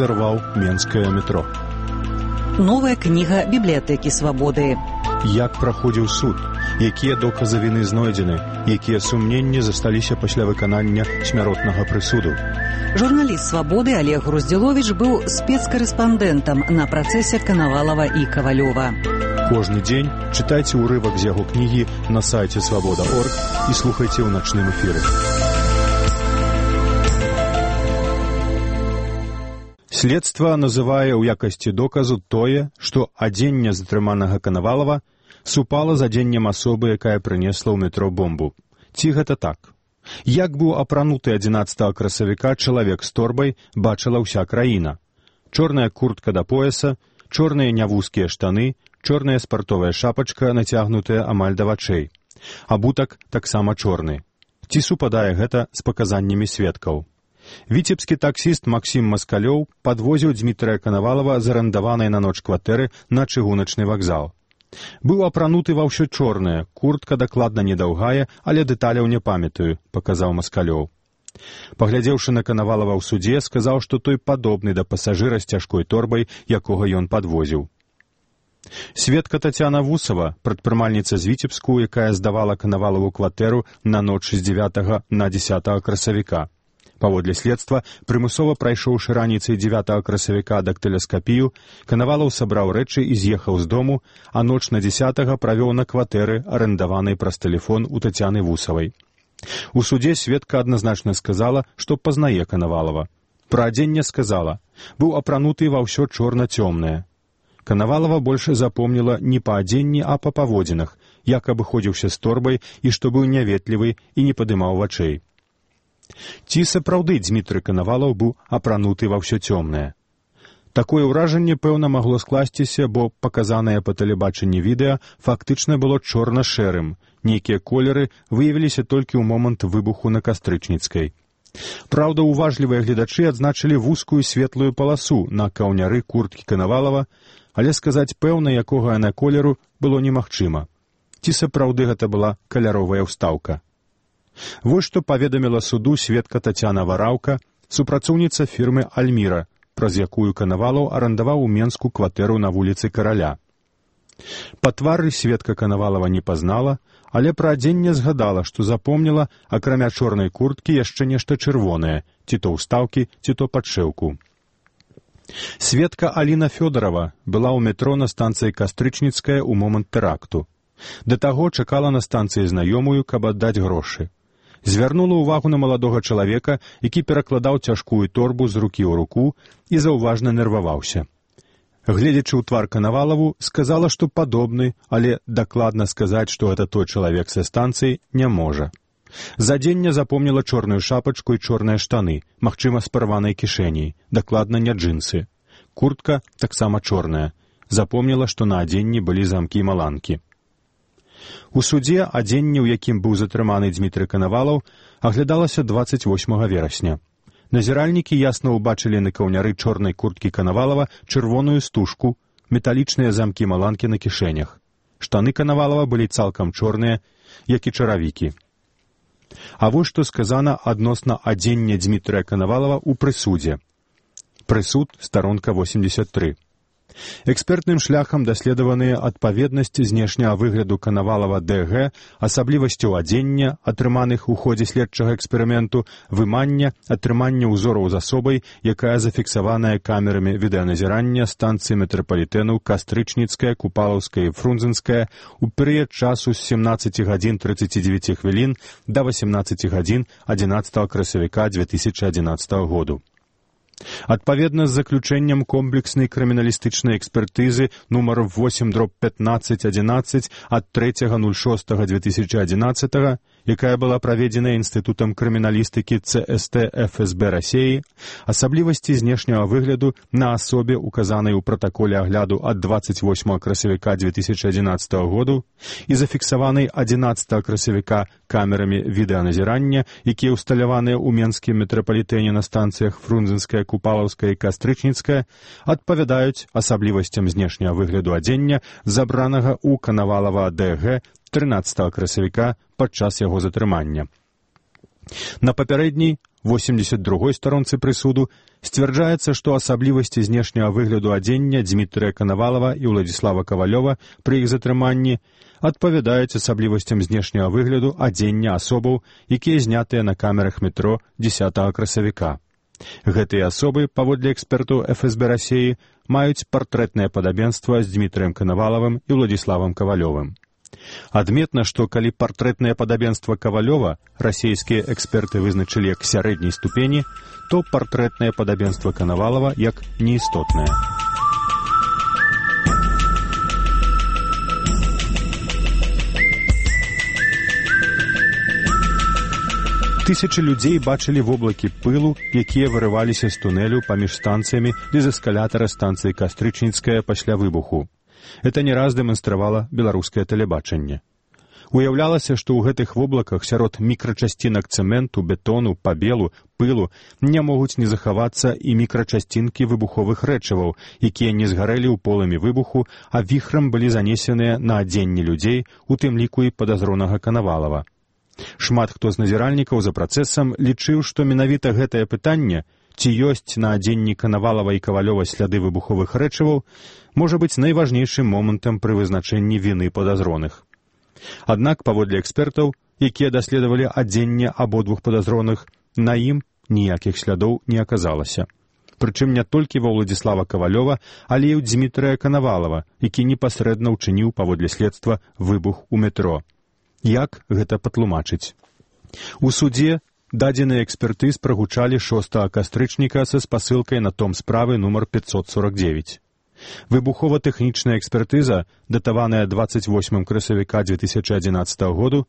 узарваў менскае метро. Новая кніга бібліятэкі свабоды. Як праходзіў суд, якія доказы віны знойдзены, якія сумненні засталіся пасля выканання смяротнага прысуду. Журналіст свабоды Олег Груздзіловіч быў спецкарэспандэнтам на працэсе Канавалава і Кавалёва. Кожны дзень чытайце ўрывак з яго кнігі на сайце свабода.орг і слухайце ў начным эфіры. Следства называе ў якасці доказу тое, што адзенне затрыманага Канавалава супала з адзеннем асобы, якая прынесла ў метро бомбу. Ці гэта так? Як быў апрануты 11 красавіка чалавек з торбай, бачыла ўся краіна. Чорная куртка да пояса, чорныя нявузкія штаны, чорная спартовая шапачка, нацягнутая амаль да вачэй. Абутак таксама чорны. Ці супадае гэта з паказаннямі сведкаў? Віцебскі таксіст Максім Маскалёў падвозіў Дзмітрыя Канавалава з арандаванай на ноч кватэры на чыгуначны вакзал. Быў апрануты ва ўсё чорнае, куртка дакладна недаўгая, але дэталяў не памятаю, паказаў Маскалёў. Паглядзеўшы на Канавалава ў судзе, сказаў, што той падобны да пасажыра з цяжкой торбай, якога ён падвозіў. Сведка Тацяна Вусава, прадпрымальніца з Віцебску, якая здавала Канавалаву кватэру на ноч з 9 на 10 красавіка. Паводле следства, прымусова прайшоўшы раніцай 9 красавіка дактыласкапію, Канавалаў сабраў рэчы і з'ехаў з дому, а ноч на 10 правёў на кватэры, арандаванай праз тэлефон у Тацяны Вусавай. У судзе сведка адназначна сказала, што пазнае Канавалава. Пра адзенне сказала, быў апрануты ва ўсё чорна-цёмнае. Канавалава больш запомніла не па адзенні, а па паводзінах, як абыходзіўся з торбай і што быў няветлівы і не падымаў вачэй. Ці сапраўды Дзмітрый Канавалаў быў апрануты ва ўсё цёмнае? Такое ўражанне, пэўна, магло скласціся, бо паказанае па тэлебачанні відэа фактычна было чорна-шэрым. Нейкія колеры выявіліся толькі ў момант выбуху на Кастрычніцкай. Праўда, уважлівыя гледачы адзначылі вузкую светлую паласу на каўняры курткі Канавалава, але сказаць пэўна, якога яна колеру, было немагчыма. Ці сапраўды гэта была каляровая ўстаўка? Вось што паведаміла суду сведка Тацяна Вараўка, супрацоўніца фірмы «Альміра», праз якую Канавалаў арандаваў у Менску кватэру на вуліцы Караля. Па твары сведка Канавалава не пазнала, але пра адзенне згадала, што запомніла, акрамя чорнай курткі, яшчэ нешта чырвонае, ці то ўстаўкі, ці то падшэўку. Сведка Аліна Фёдарова была ў метро на станцыі Кастрычніцкая ў момант тэракту. Да таго чакала на станцыі знаёмую, каб аддаць грошы. Звярнула ўвагу на маладога чалавека, які перакладаў цяжкую торбу з рукі ў руку і заўважна нерваваўся. Гледзячы ў твар Канавалаву, сказала, што падобны, але дакладна сказаць, што гэта той чалавек са станцыі, не можа. За адзенне запомніла чорную шапачку і чорныя штаны, магчыма, з парванай кішэняй, дакладна не джинсы. Куртка таксама чорная. Запомніла, што на адзенні былі замкі маланкі. У судзе адзенне, у якім быў затрыманы Дзмітрый Канавалаў, аглядалася 28 верасня. Назіральнікі ясна ўбачылі на каўняры чорнай курткі Канавалава чырвоную стужку, металічныя замкі маланкі на кішэнях. Штаны Канавалава былі цалкам чорныя, як і чаравікі. А вось што сказана адносна адзення Дзмітрыя Канавалава ў прысудзе. Прысуд, старонка 83. Экспертным шляхам даследаваныя адпаведнасць знешняга выгляду Канавалава ДГ, асаблівасцяў адзення, атрыманых у ходзе следчага эксперыменту, вымання, атрымання ўзораў з асобай, якая зафіксаваная камерамі відэаназірання станцыі метрапалітэну Кастрычніцкая, Купалаўская і Фрунзенская у перыяд часу з 17 гадзін 39 хвілін да 18 гадзін 11 красавіка 2011 году. Адпаведна з заключэннем комплекснай крыміналістычнай экспертызы нумар 8/1511 ад 3.06.2011, якая была праведзена Інстытутам крыміналістыкі ЦСТ ФСБ Расіі, асаблівасці знешняга выгляду на асобе, указанай у пратаколе агляду ад 28 красавіка 2011 году і зафіксаванай 11 красавіка камерамі відэаназірання, якія ўсталяваныя ў Менскім метрапалітэне на станцыях Фрунзенская, Купалаўская і Кастрычніцкая, адпавядаюць асаблівасцям знешняга выгляду адзення, забранага ў Канавалава ДГ 13 красавіка падчас яго затрымання. На папярэдняй, 82-й старонцы прысуду сцвярджаецца, што асаблівасці знешняга выгляду адзення Дзмітрыя Канавалава і Уладзіслава Кавалёва пры іх затрыманні адпавядаюць асаблівасцям знешняга выгляду адзення асобаў, якія знятыя на камерах метро 10 красавіка. Гэтыя асобы, паводле экспертаў ФСБ Расіі, маюць партрэтнае падабенства з Дзмітрыем Канавалавым і Уладзіславам Кавалёвым. Адметна, што калі партрэтнае падабенства Кавалёва расійскія эксперты вызначылі як сярэдняй ступені, то партрэтнае падабенства Канавалава як неістотнае. Тысячы людзей бачылі воблакі пылу, якія вырываліся з тунэлю паміж станцыямі без эскалятара станцыі Кастрычніцкая пасля выбуху. Это не раз дэманстравала беларускае тэлебачанне. Уяўлялася, што ў гэтых воблаках сярод мікрачасцінак цэменту, бетону, пабелу, пылу не могуць не захавацца і мікрачасцінкі выбуховых рэчываў, якія не згарэлі ў полымі выбуху, а віхрам былі занесеныя на адзенне людзей, у тым ліку і падазронага Канавалава. Шмат хто з назіральнікаў за працэсам лічыў, што менавіта гэтае пытанне, ці ёсць на адзенні Канавалава і Кавалёва сляды выбуховых рэчываў, можа быць найважнейшым момантам пры вызначэнні віны падазроных. Аднак, паводле экспертаў, якія даследавалі адзенне абодвух падазроных, на ім ніякіх слядоў не аказалася. Прычым не толькі ва Уладзіслава Кавалёва, але і ў Дзмітрыя Канавалава, які непасрэдна ўчыніў паводле следства выбух у метро. Як гэта патлумачыць? У судзе дадзеныя экспертыз прагучалі 6 кастрычніка са спасылкай на том справы нумар 549. Выбухова-тэхнічная экспертыза, датаваная 28 красавіка 2011 году,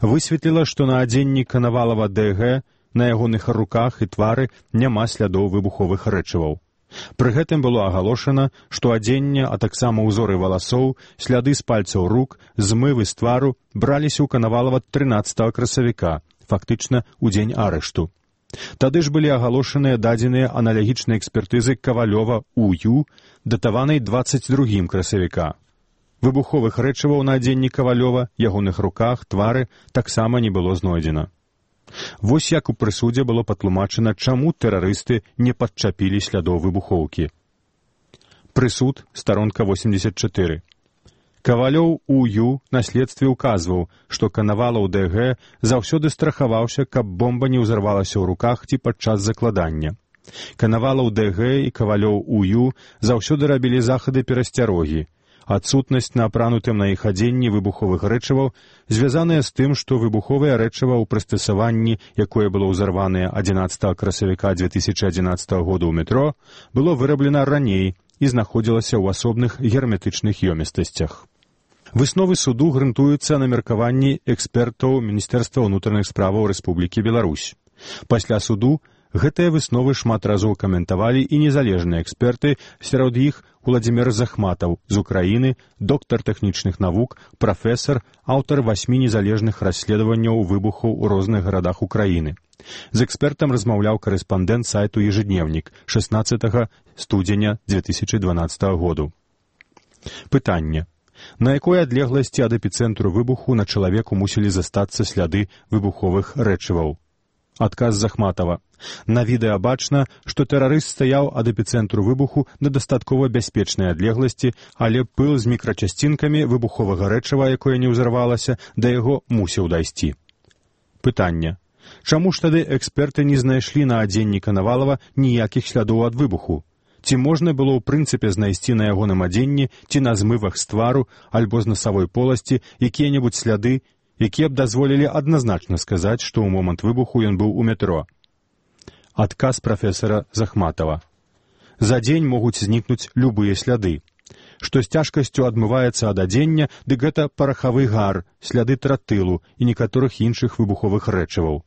высветліла, што на адзенні Канавалава ДГ на ягоных руках і твары няма слядоў выбуховых рэчываў. Пры гэтым было агалошана, што адзенне, а таксама ўзоры валасоў, сляды з пальцаў рук, змывы з твару браліся ў Канавалава 13 красавіка, фактычна ў дзень арышту. Тады ж былі агалошаныя дадзеныя аналагічныя экспертызы Кавалёва УЮ, датаванай 22 красавіка. Выбуховых рэчываў на адзенні Кавалёва, ягоных руках, твары таксама не было знойдзена. Вось як у прысудзе было патлумачана, чаму тэрарысты не падчапілі слядоў выбухоўкі. Прысуд, старонка 84. Кавалёў УЮ на следстве указваў, што Канавалаў ДГ заўсёды страхаваўся, каб бомба не ўзарвалася ў руках ці падчас закладання. Канавалаў ДГ і Кавалёў УЮ заўсёды рабілі захады перасцярогі. Адсутнасць на апранутым на іх адзенні выбуховых рэчываў звязаная з тым, што выбуховае рэчыва ў прыстасаванні, якое было ўзарванае 11 красавіка 2011 года ў метро, было выраблена раней і знаходзілася ў асобных герметычных ёмістасцях. Высновы суду грунтуюцца на меркаванні экспертаў Міністэрства ўнутраных справаў Рэспублікі Беларусь. Пасля суду гэтыя высновы шмат разоў каментавалі і незалежныя эксперты, сярод іх Уладзімір Захматаў з Украіны, доктар тэхнічных навук, прафесар, аўтар 8 незалежных расследаванняў выбухаў у розных гарадах Украіны. З экспертам размаўляў карэспандэнт сайту «Ежедневнік» 16 студзеня 2012 году. Пытанне. На якой адлегласці ад эпіцэнтру выбуху на чалавеку мусілі застацца сляды выбуховых рэчываў? Адказ Захматава. На відэа бачна, што тэрарыст стаяў ад эпіцэнтру выбуху на дастаткова бяспечнай адлегласці, але пыл з мікрачасцінкамі выбуховага рэчыва, якое не ўзарвалася, да яго мусіў дайсці. Пытанне. Чаму ж тады эксперты не знайшлі на адзенні Канавалава ніякіх слядоў ад выбуху? Ці можна было ў прынцыпе знайсці на ягоным адзенні ці на змывах з твару альбо з насавой поласці якія-небудзь сляды, якія б дазволілі адназначна сказаць, што ў момант выбуху ён быў у метро? Адказ прафесара Захматава. За дзень могуць знікнуць любыя сляды. Што з цяжкасцю адмываецца ад адзення, дык гэта парахавы гар, сляды тротылу і некаторых іншых выбуховых рэчываў.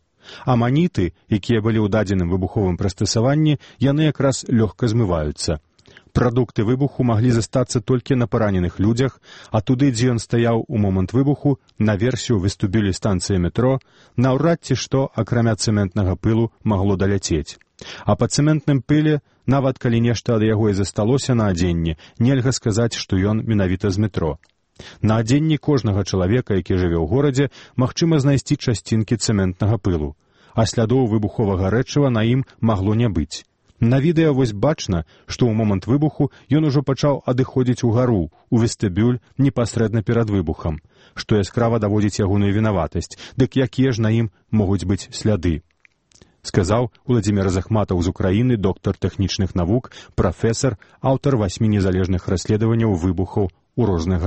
Аманіты, якія былі ў дадзеным выбуховым прыстасаванні, яны якраз лёгка змываюцца. Прадукты выбуху маглі застацца толькі на параненых людзях, а туды, дзе ён стаяў у момант выбуху, наверсе ў вестыбюлі станцыі метро, наўрад ці што, акрамя цэментнага пылу, магло даляцець. А па цэментным пыле, нават калі нешта ад яго і засталося на адзенні, нельга сказаць, што ён менавіта з метро. На адзенні кожнага чалавека, які жыве ў горадзе, магчыма знайсці часцінкі цэментнага пылу. а слядоў выбуховага рэчыва на ім магло не быць. На відэа вось бачна, што ў момант выбуху ён ужо пачаў адыходзіць угару, у вестыбюль непасрэдна перад выбухам, што яскрава даводзіць ягоную вінаватасць, дык якія ж на ім могуць быць сляды. Сказаў Уладзімір Захматаў з Украіны, доктар тэхнічных навук, прафесар, аўтар 8 незалежных расследаванняў выбухаў у розных